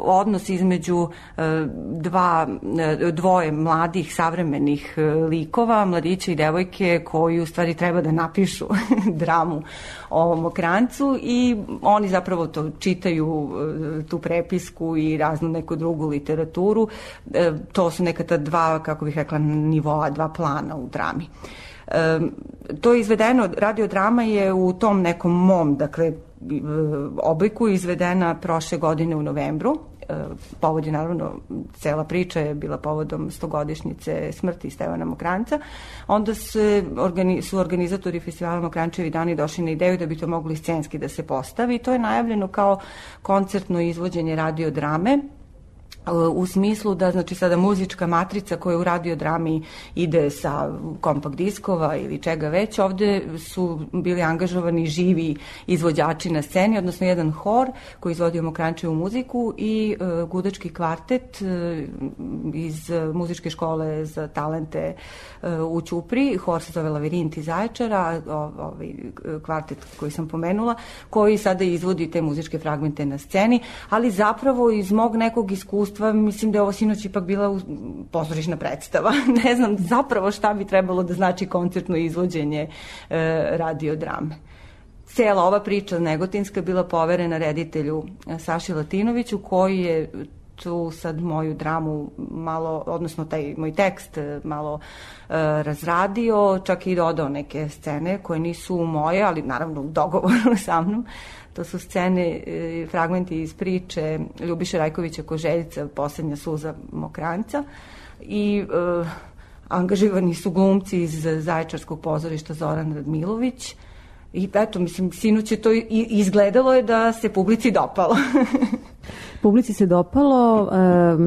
odnos između dvoje mladih savremenih likova, mladića i devojke, koji u stvari treba da napišu dramu o Mokranjcu, i oni zapravo to čitaju, tu prepisku i raznu neku drugu literaturu. To su neka ta dva, kako bih rekla, nivoa, dva plana u drami. To je izvedeno, radiodrama je u tom nekom mom, dakle, obliku izvedena prošle godine u novembru. Povod je, naravno, cela priča je bila povodom 100-godišnjice smrti Stevana Mokranjca. Onda su organizatori festivala Mokranjčevi dani došli na ideju da bi to mogli scenski da se postavi. To je najavljeno kao koncertno izvođenje radiodrame. u smislu da, znači, sada muzička matrica koja u radiodrami ide sa kompakt diskova ili čega već, ovde su bili angažovani živi izvođači na sceni, odnosno jedan hor koji izvodio Mokranjčevu muziku i gudački kvartet iz muzičke škole za talente u Ćupri. Hor se zove Lavirint iz Zaječara, ovaj kvartet koji sam pomenula, koji sada izvodi te muzičke fragmente na sceni, ali zapravo iz mog nekog iskustva mislim da je ovo sinoć ipak bila pozorišna predstava. Ne znam zapravo šta bi trebalo da znači koncertno izvođenje radiodrame. Cela ova priča negotinska bila poverena reditelju Saši Latinoviću, koji je tu sad moju dramu malo, odnosno taj moj tekst malo razradio, čak i dodao neke scene koje nisu moje, ali naravno u dogovoru sa mnom. To su scene, fragmenti iz priče Ljubiše Rajkovića Koželjca, Poslednja suza Mokranjca, i angažirani su glumci iz Zaječarskog pozorišta Zoran Radmilović. I eto, mislim, sinoć je to izgledalo je da se publici dopalo. Publici se dopalo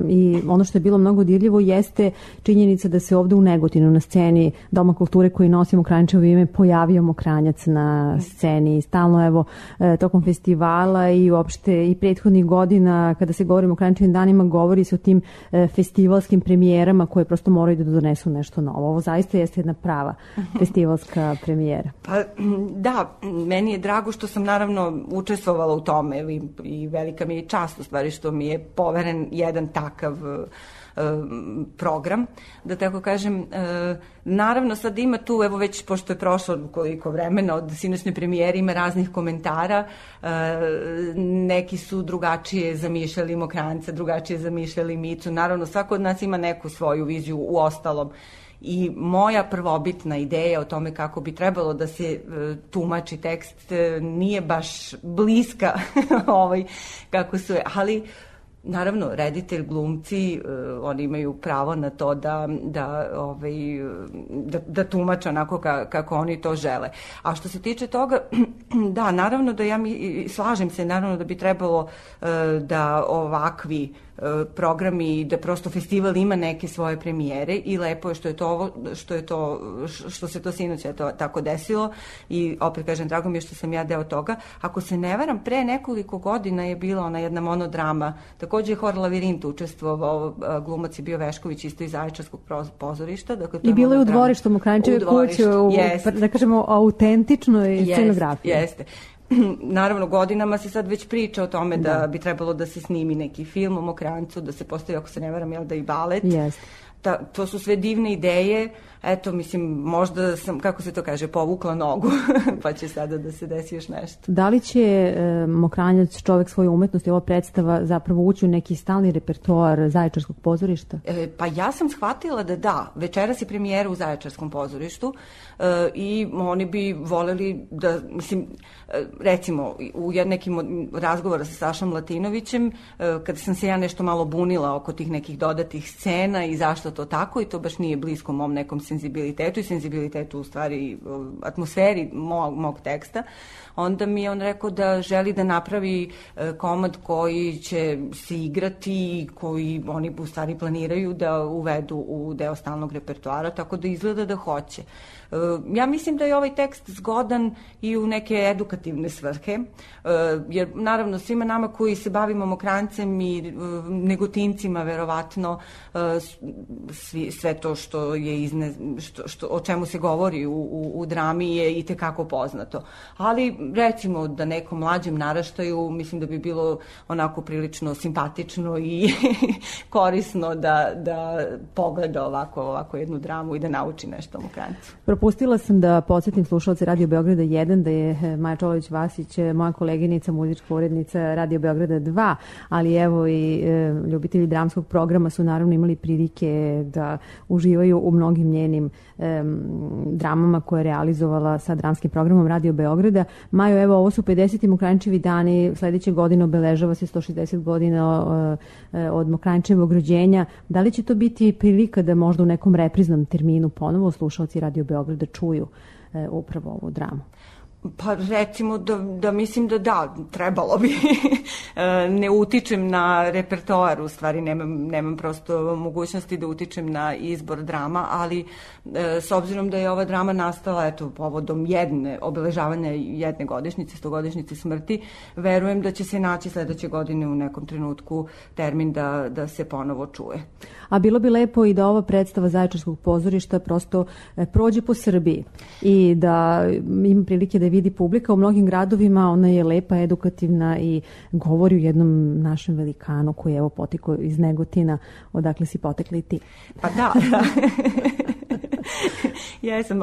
i ono što je bilo mnogo dirljivo jeste činjenica da se ovde u Negotinu na sceni Doma kulture koji nosi Mokranjčevo ime pojavio Mokranjac na sceni. Stalno, evo, tokom festivala i uopšte i prethodnih godina kada se govori o Mokranjčevim danima, govori se o tim festivalskim premijerama koje prosto moraju da donesu nešto novo. Ovo zaista jeste jedna prava festivalska premijera. Pa da, meni je drago što sam naravno učestvovala u tome i velika mi je čast u stvari što mi je poveren jedan takav program, da tako kažem. Naravno sad ima tu, evo već pošto je prošlo koliko vremena od sinoćne premijere, ima raznih komentara, neki su drugačije zamišljali Mokranjca, drugačije zamišljali Micu, naravno svako od nas ima neku svoju viziju u ostalom. I moja prvobitna ideja o tome kako bi trebalo da se tumači tekst nije baš bliska kako su je, ali naravno reditelj, glumci, oni imaju pravo na to da tumače onako kako oni to žele. A što se tiče toga, da, naravno da slažem se, naravno da bi trebalo da ovakvi programi, da prosto festival ima neke svoje premijere i lepo je što se to sinoć tako desilo i opet kažem, drago mi je što sam ja deo toga. Ako se ne varam, pre nekoliko godina je bila ona jedna monodrama, takođe je hor Lavirint učestvovao, glumac je bio Vešković isto iz Zaječarskog pozorišta. Dakle, i bilo je u dvorištu Mokranjčeve kuće, da kažemo, autentičnoj scenografiji. Jeste. Naravno, godinama se sad već priča o tome da bi trebalo da se snimi neki film o Mokranjcu, da se postavi, ako se ne varam, da i balet. To su sve divne ideje. Eto, mislim, možda sam, kako se to kaže, povukla nogu, pa će sada da se desi još nešto. Da li će Mokranjac, čovek svoje umetnosti, ova predstava zapravo ući u neki stalni repertoar Zaječarskog pozorišta? Pa ja sam shvatila da. Večeras je premijera u Zaječarskom pozorištu i oni bi voleli da, mislim, recimo, u nekim razgovora sa Sašom Latinovićem, kada sam se ja nešto malo bunila oko tih nekih dodatih scena i zašto to tako, i to baš nije blisko mom nekom senzibilitetu i senzibilitetu u stvari atmosferi mog teksta, onda mi je on rekao da želi da napravi komad koji će se igrati i koji oni u stvari planiraju da uvedu u deo stalnog repertoara, tako da izgleda da hoće. Ja mislim da je ovaj tekst zgodan i u neke edukativne svrhe, jer naravno svima nama koji se bavimo Mokranjcem i Negotincima verovatno sve to što je o čemu se govori u drami je i tekako poznato. Ali recimo da nekom mlađem naraštaju mislim da bi bilo onako prilično simpatično i korisno da pogleda ovako jednu dramu i da nauči nešto o Mokranjcu. Propustila sam da podsjetim slušalce Radio Beograda 1 da je Maja Čolović-Vasić moja koleginica, muzička urednica Radio Beograda 2, ali evo i ljubitelji dramskog programa su naravno imali prilike da uživaju u mnogim njenim dramama koje je realizovala sa dramskim programom Radio Beograda. Majo, evo, ovo su 50. Mokranjčevi dani, sledeće godine obeležava se 160 godina od Mokranjčevog rođenja. Da li će to biti prilika da možda u nekom repriznom terminu ponovo slušalci Radio Beograda čuju upravo ovu dramu? Pa recimo da mislim da trebalo bi. Ne utičem na repertoar, u stvari nemam prosto mogućnosti da utičem na izbor drama, ali s obzirom da je ova drama nastala povodom obeležavanja jedne godišnjice, 100-godišnjice smrti, verujem da će se naći sledeće godine u nekom trenutku termin da se ponovo čuje. A bilo bi lepo i da ova predstava Zaječarskog pozorišta prosto prođe po Srbiji i da ima prilike da vidi publika u mnogim gradovima. Ona je lepa, edukativna i govori o jednom našem velikanu koji je evo potekao iz Negotina, odakle si potekla i ti. Pa da. Jesam,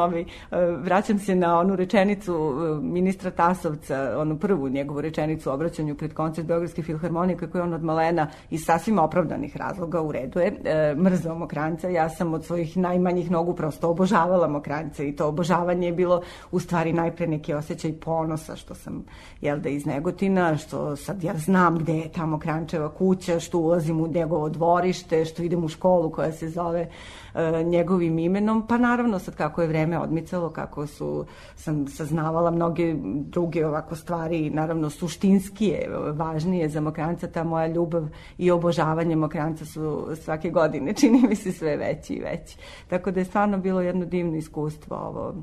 vraćam se na onu rečenicu ministra Tasovca, onu prvu njegovu rečenicu u obraćanju pred koncert Beogradske filharmonije, kako je on od malena iz sasvim opravdanih razloga, u redu je, mrzao Mokranjca. Ja sam od svojih najmanjih nogu prosto obožavala Mokranjca i to obožavanje je bilo u stvari najpre neki osjećaj ponosa što sam iz Negotina, što sad ja znam gde je ta Mokranjčeva kuća, što ulazim u njegovo dvorište, što idem u školu koja se zove njegovim imenom, pa naravno sad kako je vreme odmicalo, kako sam saznavala mnoge druge ovako stvari, naravno suštinskije, važnije za Mokranjca, ta moja ljubav i obožavanje Mokranjca su svake godine, čini mi se, sve veći i veći. Tako da je stvarno bilo jedno divno iskustvo ovo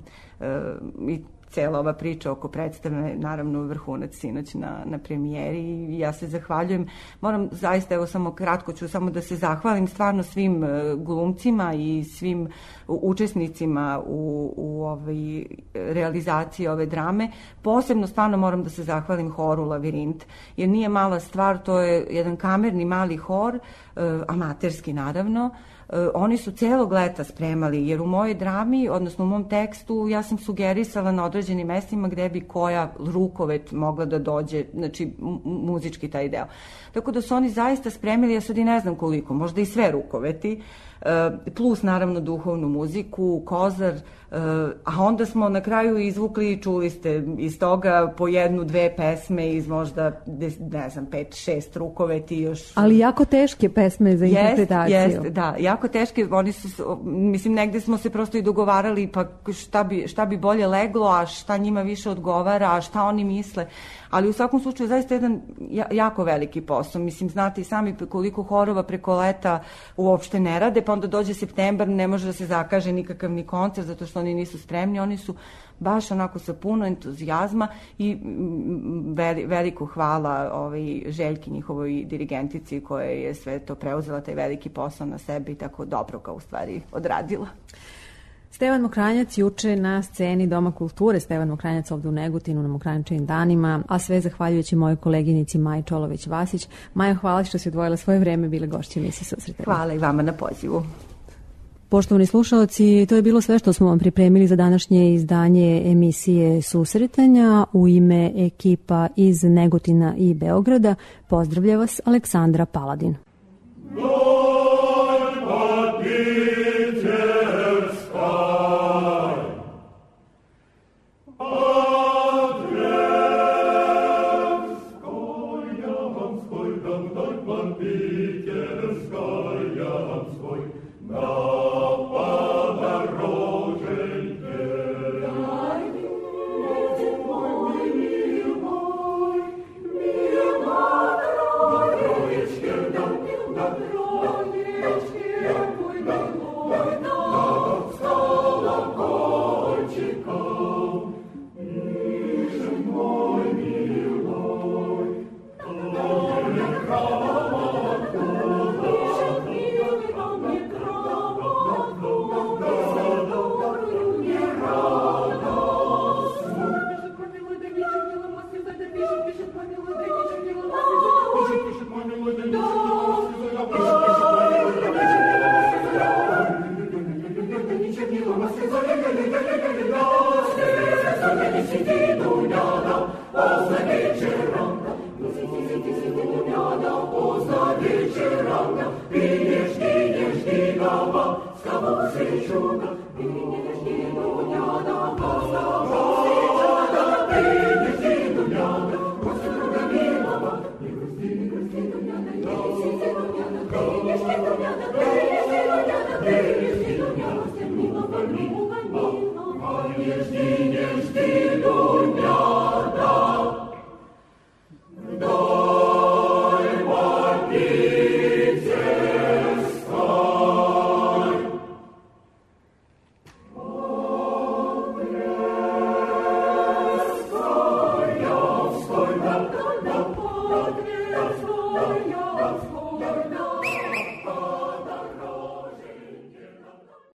i cela ova priča oko predstave, naravno vrhunac sinoć na premijeri i ja se zahvaljujem. Moram zaista, evo samo kratko ću samo da se zahvalim stvarno svim glumcima i svim učesnicima u realizaciji ove drame. Posebno stvarno moram da se zahvalim horu Lavirint, jer nije mala stvar, to je jedan kamerni mali hor, amaterski naravno. Oni su celog leta spremali, jer u mojoj drami, odnosno u mom tekstu, ja sam sugerisala na određenim mestima gde bi koja rukovet mogla da dođe, znači muzički taj deo. Tako da su oni zaista spremili, ja sad i ne znam koliko, možda i sve rukoveti, plus naravno duhovnu muziku, kozar, a onda smo na kraju izvukli, čuli ste iz toga, po 1-2 pesme iz možda, ne znam, 5-6 rukoveti još. Ali jako teške pesme za interpretaciju. Jeste, da, jako teške, oni su, mislim, negde smo se prosto i dogovarali, pa šta bi bolje leglo, a šta njima više odgovara, a šta oni misle, ali u svakom slučaju zaista jedan jako veliki posao. Mislim, znate i sami koliko horova preko leta uopšte ne rade, pa onda dođe septembar, ne može da se zakaže nikakav ni koncert, zato što oni nisu spremni, oni su baš onako sa puno entuzijazma i veliko hvala Željki, njihovoj dirigentici, koja je sve to preuzela, taj veliki posao na sebi i tako dobro ga u stvari odradila. Stevan Mokranjac juče na sceni Doma kulture, Stevan Mokranjac ovde u Negotinu na Mokranjčevim danima, a sve zahvaljujući mojoj koleginici Maji Čolović-Vasić. Maja, hvala što si odvojila svoje vreme, bile gošće emisije Susretanja. Hvala i vama na pozivu. Poštovani slušaoci, to je bilo sve što smo vam pripremili za današnje izdanje emisije Susretanja. U ime ekipa iz Negotina i Beograda pozdravlja vas Aleksandra Paladin. Thank you.